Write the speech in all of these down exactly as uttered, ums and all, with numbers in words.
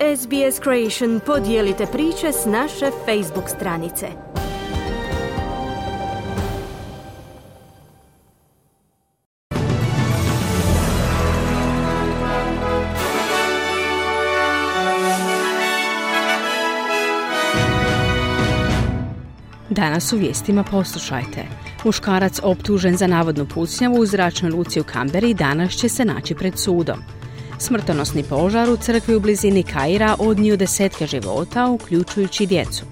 S B S Creation podijelite priče s naše Facebook stranice. Danas u vijestima poslušajte. Muškarac optužen za navodnu pucnjavu u zračnoj luci u Kamberi danas će se naći pred sudom. Smrtonosni požar u crkvi u blizini Kaira odnio desetke života, uključujući djecu.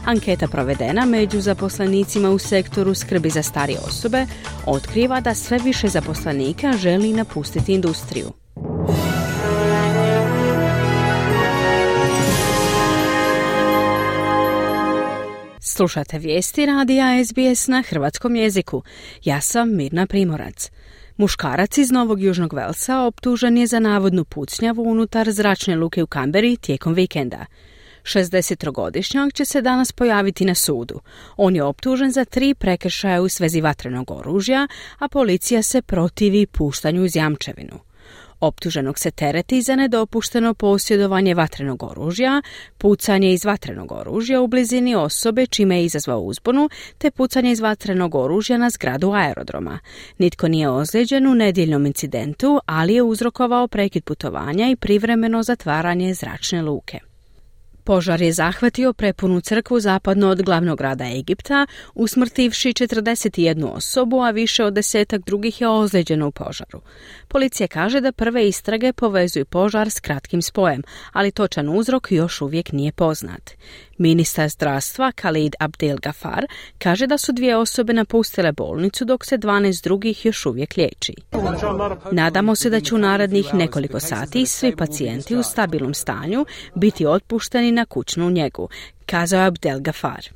Anketa provedena među zaposlenicima u sektoru skrbi za starije osobe otkriva da sve više zaposlenika želi napustiti industriju. Slušate vijesti radija S B S na hrvatskom jeziku. Ja sam Mirna Primorac. Muškarac iz Novog Južnog Velsa optužen je za navodnu pucnjavu unutar zračne luke u Kamberi tijekom vikenda. šezdesettrogodišnjak će se danas pojaviti na sudu. On je optužen za tri prekršaja u svezi vatrenog oružja, a policija se protivi puštanju uz jamčevinu. Optuženog se tereti za nedopušteno posjedovanje vatrenog oružja, pucanje iz vatrenog oružja u blizini osobe čime je izazvao uzbunu, te pucanje iz vatrenog oružja na zgradu aerodroma. Nitko nije ozlijeđen u nedjeljnom incidentu, ali je uzrokovao prekid putovanja i privremeno zatvaranje zračne luke. Požar je zahvatio prepunu crkvu zapadno od glavnog grada Egipta, usmrtivši četrdeset jednu osobu, a više od desetak drugih je ozlijeđeno u požaru. Policija kaže da prve istrage povezuju požar s kratkim spojem, ali točan uzrok još uvijek nije poznat. Ministar zdravstva Khalid Abdel Gafar kaže da su dvije osobe napustile bolnicu dok se dvanaest drugih još uvijek liječi. Nadamo se da će u narednih nekoliko sati svi pacijenti u stabilnom stanju biti otpušteni na kućnu njegu, kazao Abdel Gafar.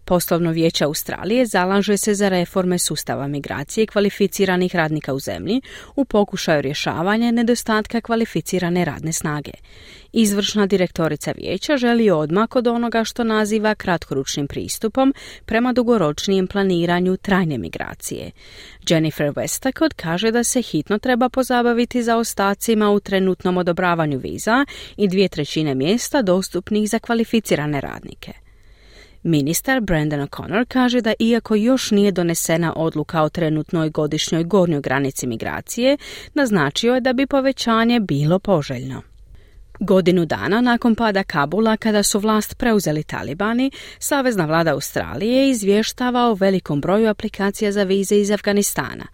Poslovno vijeće Australije zalaže se za reforme sustava migracije i kvalificiranih radnika u zemlji u pokušaju rješavanja nedostatka kvalificirane radne snage. Izvršna direktorica vijeća želi odmak od onoga što naziva kratkoročnim pristupom prema dugoročnijem planiranju trajne migracije. Jennifer Westacott kaže da se hitno treba pozabaviti zaostacima u trenutnom odobravanju viza i dvije trećine mjesta dostupnih za kvalificirane radnike. Ministar Brandon O'Connor kaže da iako još nije donesena odluka o trenutnoj godišnjoj gornjoj granici migracije, naznačio je da bi povećanje bilo poželjno. Godinu dana nakon pada Kabula, kada su vlast preuzeli talibani, Savezna vlada Australije izvještava o velikom broju aplikacija za vize iz Afganistana.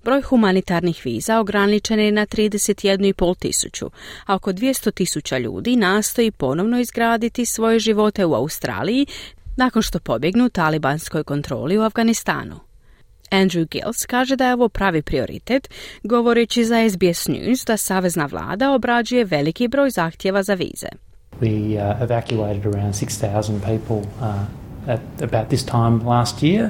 Broj humanitarnih viza ograničen je na trideset jednu i pol tisuću, a oko dvjesto tisuća ljudi nastoji ponovno izgraditi svoje živote u Australiji nakon što pobjegnu talibanskoj kontroli u Afganistanu. Andrew Gills kaže da je ovo pravi prioritet, govoreći za S B S News da Savezna vlada obrađuje veliki broj zahtjeva za vize. We uh, evacuated around six thousand people uh, at about this time last year.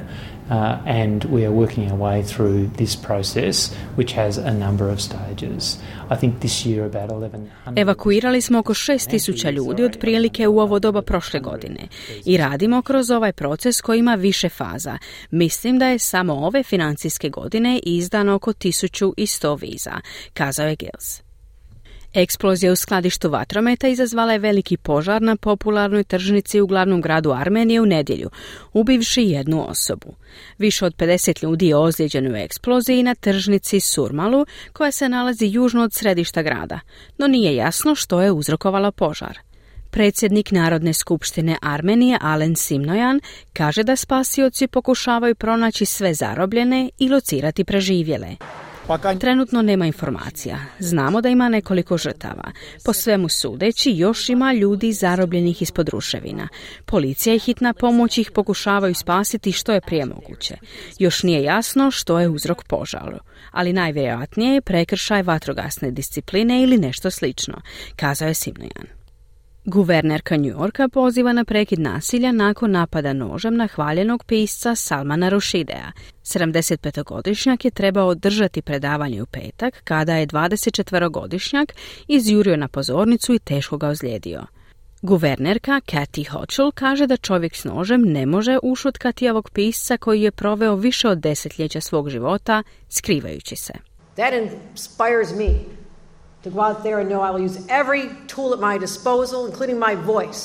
Uh, and we are working our way through this process, which has a number of stages. I think this year about eleven hundred... Evakuirali smo oko šest tisuća ljudi otprilike u ovo doba prošle godine i radimo kroz ovaj proces koji ima više faza. Mislim da je samo ove financijske godine izdano oko tisuću sto viza, kazao je Gills. Eksplozija u skladištu vatrometa izazvala je veliki požar na popularnoj tržnici u glavnom gradu Armenije u nedjelju, ubivši jednu osobu. Više od pedeset ljudi je ozlijeđeno u eksploziji na tržnici Surmalu, koja se nalazi južno od središta grada, no nije jasno što je uzrokovalo požar. Predsjednik Narodne skupštine Armenije Alen Simnojan kaže da spasioci pokušavaju pronaći sve zarobljene i locirati preživjele. Trenutno nema informacija. Znamo da ima nekoliko žrtava. Po svemu sudeći, još ima ljudi zarobljenih ispod ruševina. Policija i hitna pomoć ih pokušavaju spasiti što je prije moguće. Još nije jasno što je uzrok požaru, ali najvjerojatnije je prekršaj vatrogasne discipline ili nešto slično, kazao je Simnojan. Guvernerka New Yorka poziva na prekid nasilja nakon napada nožem na hvaljenog pisca Salmana Rushidea. sedamdesetpetogodišnjak je trebao održati predavanje u petak kada je dvadesetčetverogodišnjak izjurio na pozornicu i teško ga ozlijedio. Guvernerka Kathy Hochul kaže da čovjek s nožem ne može ušutkati ovog pisca koji je proveo više od desetljeća svog života skrivajući se. That inspires me to go out there and know I will use every tool at my disposal, including my voice,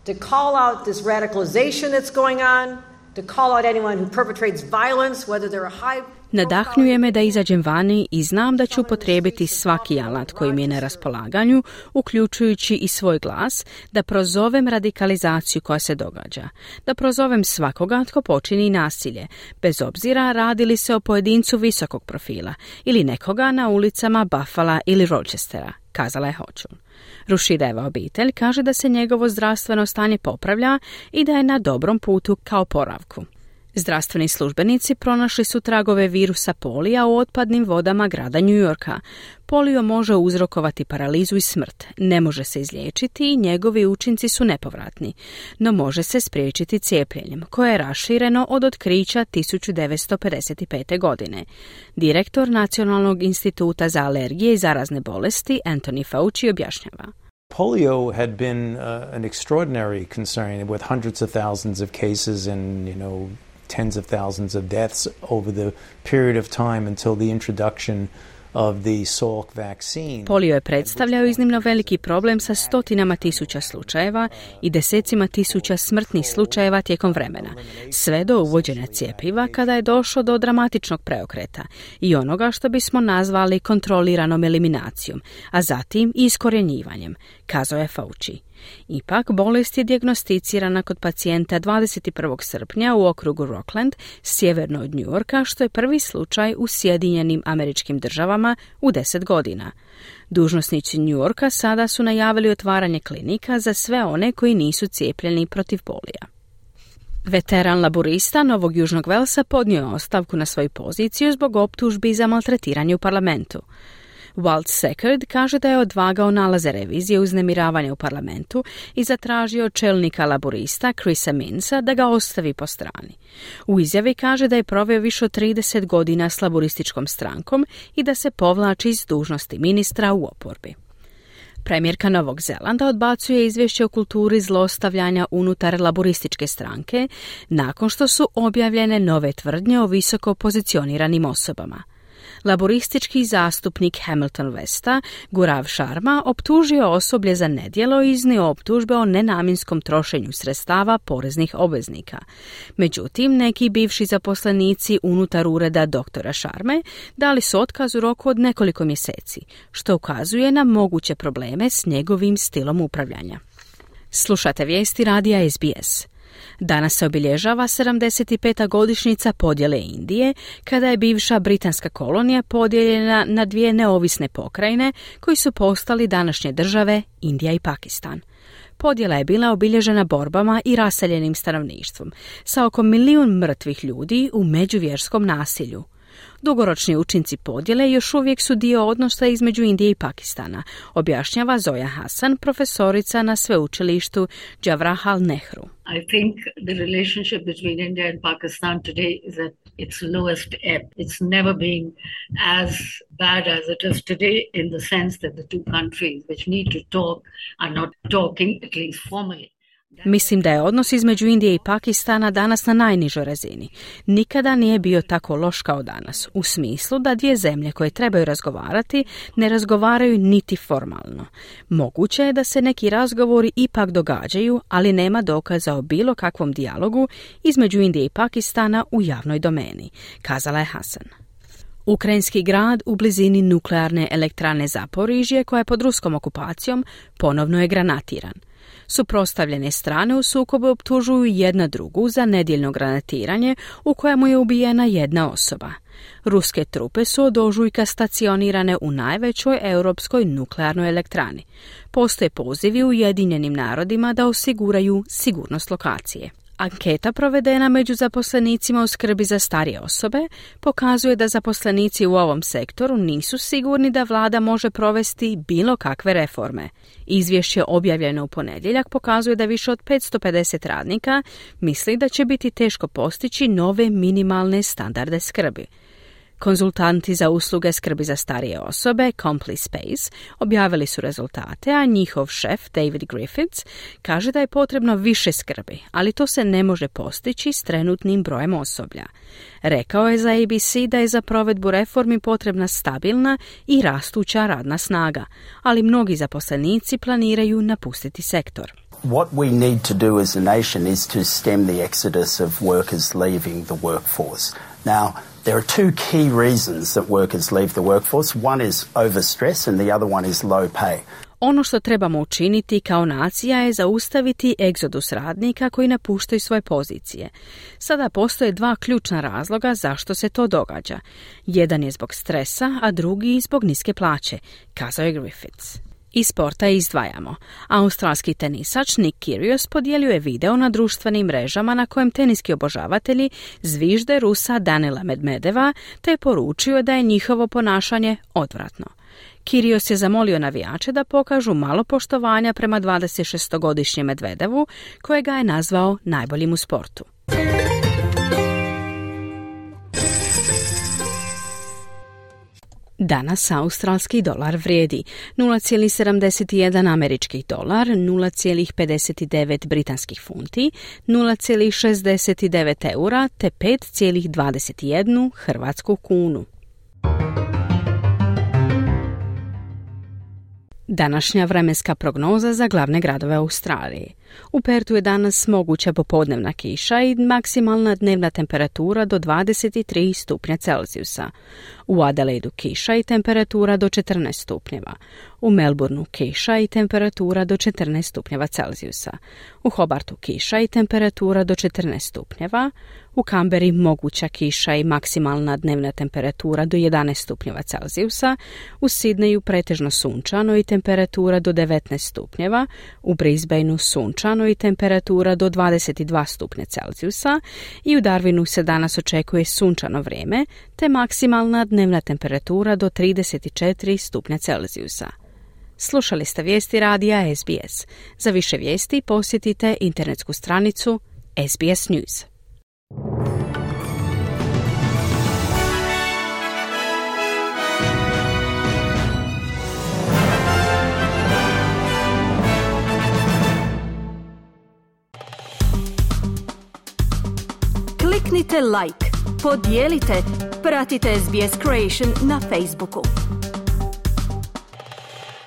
to call out this radicalization that's going on, to call out anyone who perpetrates violence, whether they're a high... Nadahnjuje me da izađem vani i znam da ću upotrijebiti svaki alat koji mi je na raspolaganju, uključujući i svoj glas, da prozovem radikalizaciju koja se događa, da prozovem svakoga tko počini nasilje, bez obzira radi li se o pojedincu visokog profila ili nekoga na ulicama Buffala ili Rochestera, kazala je Hochul. Rushideva obitelj kaže da se njegovo zdravstveno stanje popravlja i da je na dobrom putu ka oporavku. Zdravstveni službenici pronašli su tragove virusa polija u otpadnim vodama grada New Yorka. Polio može uzrokovati paralizu i smrt, ne može se izliječiti i njegovi učinci su nepovratni, no može se spriječiti cijepljenjem, koje je rašireno od otkrića tisuću devetsto pedeset pete. godine. Direktor Nacionalnog instituta za alergije i zarazne bolesti Anthony Fauci objašnjava. Polio had been uh, an extraordinary concern with hundreds of thousands of cases and, you know, tens of thousands of deaths over the period of time until the introduction of the Salk vaccine. Polio je predstavljao iznimno veliki problem sa stotinama tisuća slučajeva i desecima tisuća smrtnih slučajeva tijekom vremena, sve do uvođenja cjepiva kada je došlo do dramatičnog preokreta i onoga što bismo nazvali kontroliranom eliminacijom, a zatim i iskorjenjivanjem, kazao je Fauci. Ipak, bolest je dijagnosticirana kod pacijenta dvadeset prvog srpnja u okrugu Rockland, sjeverno od New Yorka, što je prvi slučaj u Sjedinjenim Američkim Državama u deset godina. Dužnosnici New Yorka sada su najavili otvaranje klinika za sve one koji nisu cijepljeni protiv polija. Veteran laburista Novog Južnog Velsa podnio je ostavku na svoju poziciju zbog optužbi za maltretiranje u parlamentu. Walt Seckard kaže da je odvagao nalaze revizije uznemiravanja u parlamentu i zatražio od čelnika laburista Chrisa Minsa da ga ostavi po strani. U izjavi kaže da je proveo više od trideset godina s laburističkom strankom i da se povlači iz dužnosti ministra u oporbi. Premijerka Novog Zelanda odbacuje izvješće o kulturi zlostavljanja unutar laburističke stranke nakon što su objavljene nove tvrdnje o visoko pozicioniranim osobama. Laboristički zastupnik Hamilton Westa, Gaurav Sharma, optužio osoblje za nedjelo i iznio optužbe o nenamjenskom trošenju sredstava poreznih obveznika. Međutim, neki bivši zaposlenici unutar ureda doktora Sharme dali su otkaz u roku od nekoliko mjeseci, što ukazuje na moguće probleme s njegovim stilom upravljanja. Slušate vijesti radija S B S. Danas se obilježava sedamdeset peta godišnjica podjele Indije, kada je bivša britanska kolonija podijeljena na dvije neovisne pokrajine koji su postali današnje države Indija i Pakistan. Podjela je bila obilježena borbama i raseljenim stanovništvom, sa oko milijun mrtvih ljudi u međuvjerskom nasilju. Dugoročni učinci podjele još uvijek su dio odnosa između Indije i Pakistana, objašnjava Zoya Hasan, profesorica na sveučilištu Jawaharlal Nehru. I think the relationship between India and Pakistan today is at its lowest ebb. It's never been as bad as it is today in the sense that the two countries which need to talk are not talking, at least formally. Mislim da je odnos između Indije i Pakistana danas na najnižoj razini. Nikada nije bio tako loš kao danas, u smislu da dvije zemlje koje trebaju razgovarati ne razgovaraju niti formalno. Moguće je da se neki razgovori ipak događaju, ali nema dokaza o bilo kakvom dijalogu između Indije i Pakistana u javnoj domeni, kazala je Hasan. Ukrajinski grad u blizini nuklearne elektrane Zaporižje, koja je pod ruskom okupacijom, ponovno je granatiran. Suprotstavljene strane u sukobu optužuju jedna drugu za nedjeljno granatiranje u kojemu je ubijena jedna osoba. Ruske trupe su od ožujka stacionirane u najvećoj europskoj nuklearnoj elektrani. Postoje pozivi Ujedinjenim narodima da osiguraju sigurnost lokacije. Anketa provedena među zaposlenicima u skrbi za starije osobe pokazuje da zaposlenici u ovom sektoru nisu sigurni da vlada može provesti bilo kakve reforme. Izvješće objavljeno u ponedjeljak pokazuje da više od petsto pedeset radnika misli da će biti teško postići nove minimalne standarde skrbi. Konzultanti za usluge skrbi za starije osobe, CompliSpace, objavili su rezultate, a njihov šef, David Griffiths, kaže da je potrebno više skrbi, ali to se ne može postići s trenutnim brojem osoblja. Rekao je za A B C da je za provedbu reformi potrebna stabilna i rastuća radna snaga, ali mnogi zaposlenici planiraju napustiti sektor. What we need to do as a nation is to stem the exodus of workers leaving the workforce. Now, there are two key reasons that workers leave the workforce. One is overstress and the other one is low pay. Ono što trebamo učiniti kao nacija je zaustaviti egzodus radnika koji napuštaju svoje pozicije. Sada postoje dva ključna razloga zašto se to događa. Jedan je zbog stresa, a drugi zbog niske plaće, kazao je Griffiths. Iz sporta izdvajamo. Australski tenisač Nick Kyrgios podijelio je video na društvenim mrežama na kojem teniski obožavatelji zvižde Rusa Danila Medvedeva te je poručio da je njihovo ponašanje odvratno. Kyrgios je zamolio navijače da pokažu malo poštovanja prema dvadesetšestogodišnjem Medvedevu, kojega je nazvao najboljim u sportu. Danas australski dolar vrijedi nula zarez sedamdeset jedan američki dolar, nula zarez pedeset devet britanskih funti, nula zarez šezdeset devet eura te pet zarez dvadeset jedan hrvatsku kunu. Današnja vremenska prognoza za glavne gradove Australije. U Pertu je danas moguća popodnevna kiša i maksimalna dnevna temperatura do dvadeset tri stupnja Celzijusa. U Adelaidu kiša i temperatura do četrnaest stupnjeva. U Melbourneu kiša i temperatura do četrnaest stupnjeva Celzijusa. U Hobartu kiša i temperatura do četrnaest stupnjeva. U Kamberi moguća kiša i maksimalna dnevna temperatura do jedanaest stupnjeva Celzijusa. U Sidneju pretežno sunčano i temperatura do devetnaest stupnjeva. U Brisbaneu sunčano i temperatura do dvadeset dva stupnja Celzijusa. I u Darwinu se danas očekuje sunčano vrijeme te maksimalna dnevna temperatura do trideset četiri stupnja Celzijusa. Slušali ste vijesti radija S B S. Za više vijesti posjetite internetsku stranicu S B S News. Kliknite like, podijelite, pratite S B S Creation na Facebooku.